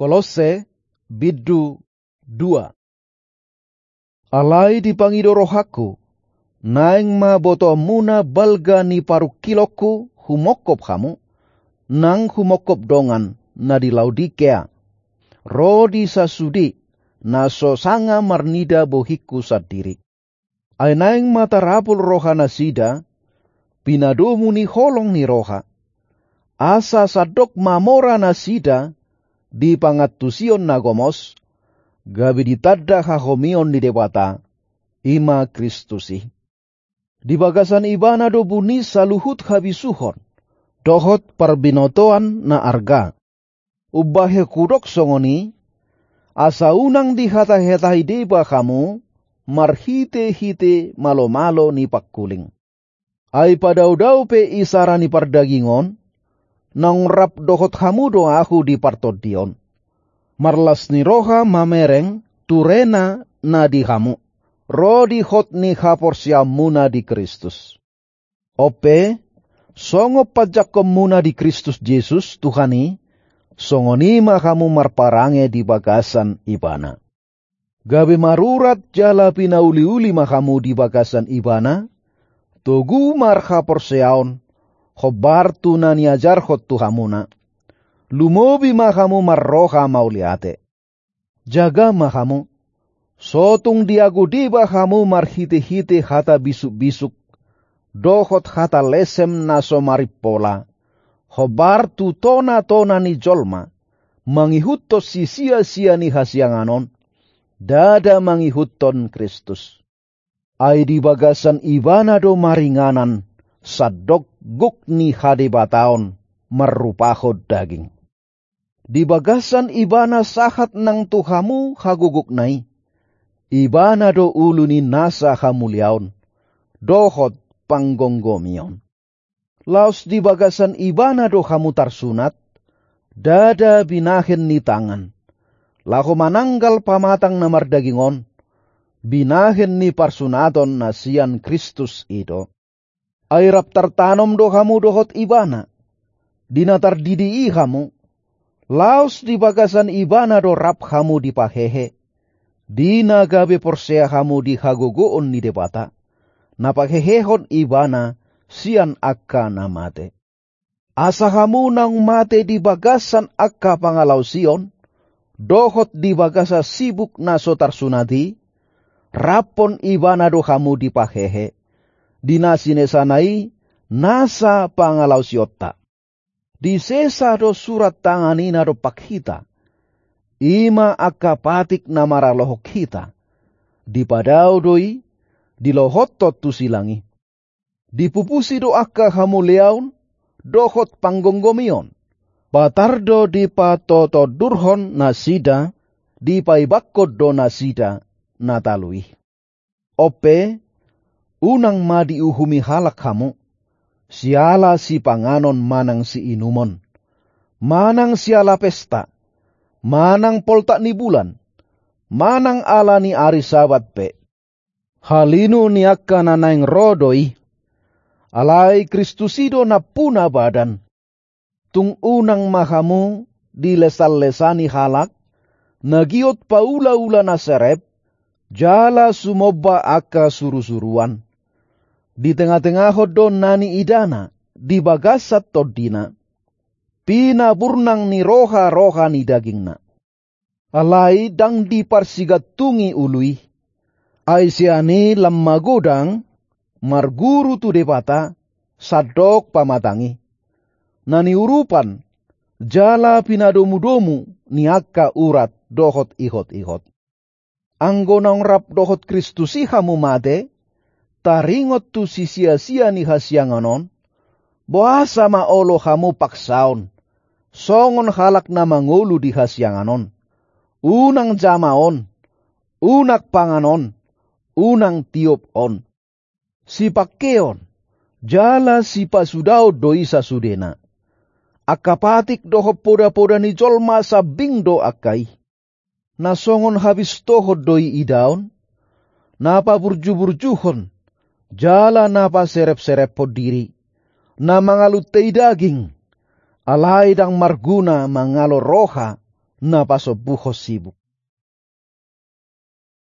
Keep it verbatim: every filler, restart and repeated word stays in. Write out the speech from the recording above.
Kolosse, bindu dua. Alai dipangido rohangku, naeng ma botoonmuna balga ni parungkilonku humongkop hamu, nang humongkop dongan na di Laodikea, ro di sasude na so sanga marnida bohingku sandiri. Ai naeng ma tarapul rohanasida, pinadomu ni holong ni roha, asa sandok mamora nasida di pangantusion na gomos, gabe ditanda hahomion ni Debata, i ma Kristus i. Di bagasan Ibana do buni saluhut habisuhon dohot parbinotoan na arga. Umbahen hudok songon i, asa unang dihatahatahi deba hamu marhitehite malomalo ni pangkuling. Ai padaodao pe isara ni pardagingon, naung rap dohot hamu do ahu di partondion. Marlas ni roha mamereng turena na di hamu, ro di hot ni haporseaonmuna di Kristus. On pe, songon panjangkonmuna di Kristus Jesus, Tuhan i, songon i ma hamu marparange di bagasan Ibana. Gabe marurat jala pinauliuli ma hamu di bagasan Ibana, togu marhaporseaon, hombar tu na niajarhon tu hamuna. Lumobi ma hamu marroha mauliate. Jaga ma hamu, so tung diago deba hamu marhitehite hata bisukbisuk, dohot hata lesem na so marimpola, hombar tu tonatona ni jolma, mangihuthon sisiasia ni hasiangan on, ndada mangihuthon Kristus. Ai di bagasan Ibana do maringanan, sandok gok ni hadebataon, marrupahon daging. Di bagasan Ibana sahat nang tu hamu hagogokna i. Ibana do ulu ni nasa hamuliaon, dohot panggomgomion. Laos di bagasan Ibana do hamu tarsunat, ndada binahen ni tangan, laho mananggal pamatang na mardaging on, binahen ni parsunaton na sian Kristus i do. Ai rap tartanom do hamu dohot Ibana, di na tardidi i hamu, laos di bagasan Ibana do rap hamu dipahehe, di na gabe porsea hamu di hagogoon ni Debata, na pahehehon Ibana sian angka na mate. Asa hamu naung mate di bagasan angka pangalaosion, dohot di bagasan sibuk na so tarsunat i, raphon Ibana do hamu dipahehe, di na sinesana i nasa pangalaosionta. Disesa do surat tangan i na dompak hita, i ma angka patik na maralohon hita. Dipadao do i, dilohothon tu silang i. Dipupusi do angka hamuliaon, dohot panggomgomion. Patar do dipatotondurhon nasida, dipaibangkon do nasida na talu i. On pe, unang ma diuhumi halak hamu, siala sipanganon manang siinumon, manang siala pesta, manang poltak ni bulan, manang ala ni ari Sabat pe. Halinu ni angka na naeng ro do i. Alai Kristus i do nampuna badan. Tung unang ma hamu dilesanlesani halak, na giot paulaula na serep, jala sumomba angka surusuruan. Di tengatengahon do na niidana, di bagasan tondina, pinaburnang ni roharoha ni dagingna. Alai ndang diparsigantungi ulu i. Ai sian i lam magodang, marguru tu Debata, sandok pamatang i. Na niurupan, jala pinadomudomu ni angka urat dohot ihotihot. Anggo naung rap dohot Kristus i hamu mate, taringot tu sisiasia ni hasiangan on, boasa ma olo hamu paksaon, songon halak na mangolu di hasiangan on. Unang jama on, unang pangan on, unang tiop on. Sipangkeon, jala sipasudaon do i sasudena. Angka patik dohot podapoda ni jolma sambing do angka i. Na songon habistohon do i idaon, na paburjuburjuhon, jala na paserepserephon diri, na mangaluntei daging, alai ndang marguna mangalo roha, na pasombuhon sibuk.